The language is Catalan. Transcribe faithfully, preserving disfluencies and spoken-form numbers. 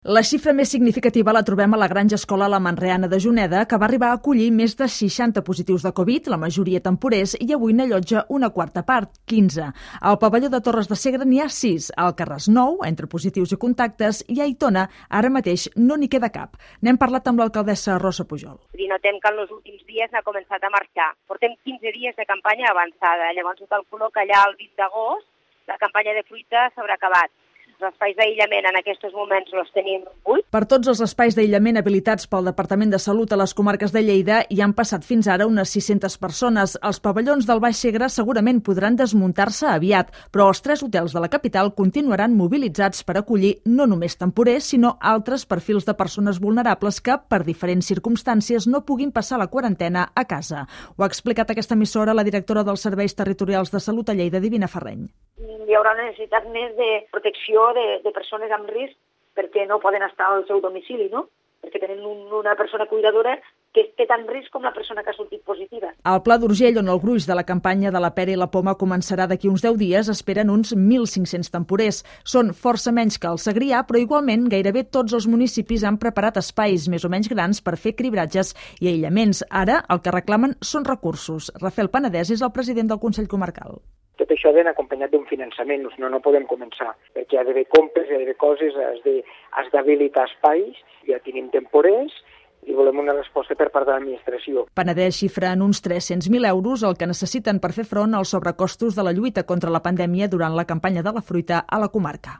La xifra més significativa la trobem a la Granja Escola La Manreana de Juneda, que va arribar a acollir més de seixanta positius de Covid, la majoria temporers, i avui n'allotja una quarta part, quinze. Al pavelló de Torres de Segre n'hi ha sis, al Carràs nou, entre positius i contactes, i a Aitona ara mateix no n'hi queda cap. N'hem parlat amb l'alcaldessa Rosa Pujol. I notem que en els últims dies n'ha començat a marxar. Portem quinze dies de campanya avançada, llavors ho calculo que allà el vint d'agost la campanya de fruita s'haurà acabat. Els espais d'aïllament en aquests moments els tenim vuit. Per tots els espais d'aïllament habilitats pel Departament de Salut a les comarques de Lleida hi han passat fins ara unes sis-centes persones. Els pavellons del Baix Segre segurament podran desmuntar-se aviat, però els tres hotels de la capital continuaran mobilitzats per acollir no només temporers, sinó altres perfils de persones vulnerables que, per diferents circumstàncies, no puguin passar la quarantena a casa. Ho ha explicat a aquesta emissora la directora dels Serveis Territorials de Salut a Lleida, Divina Ferreny. Hi haurà una necessitat més de protecció de, de persones amb risc perquè no poden estar al seu domicili, no? Perquè tenen un, una persona cuidadora que té tant risc com la persona que ha sortit positiva. Al Pla d'Urgell, on el gruix de la campanya de la pera i la poma començarà d'aquí uns deu dies, esperen uns mil cinc-cents temporers. Són força menys que el Segrià, però igualment gairebé tots els municipis han preparat espais més o menys grans per fer cribratges i aïllaments. Ara el que reclamen són recursos. Rafael Penedès és el president del Consell Comarcal. Tot això ha d'anar acompanyat d'un finançament, no, no podem començar, perquè hi ha d'haver compres, hi ha d'haver coses, has d'habilitar espais, ja tenim temporers i volem una resposta per part de l'administració. Penedès xifra en uns tres-cents mil euros el que necessiten per fer front als sobrecostos de la lluita contra la pandèmia durant la campanya de la fruita a la comarca.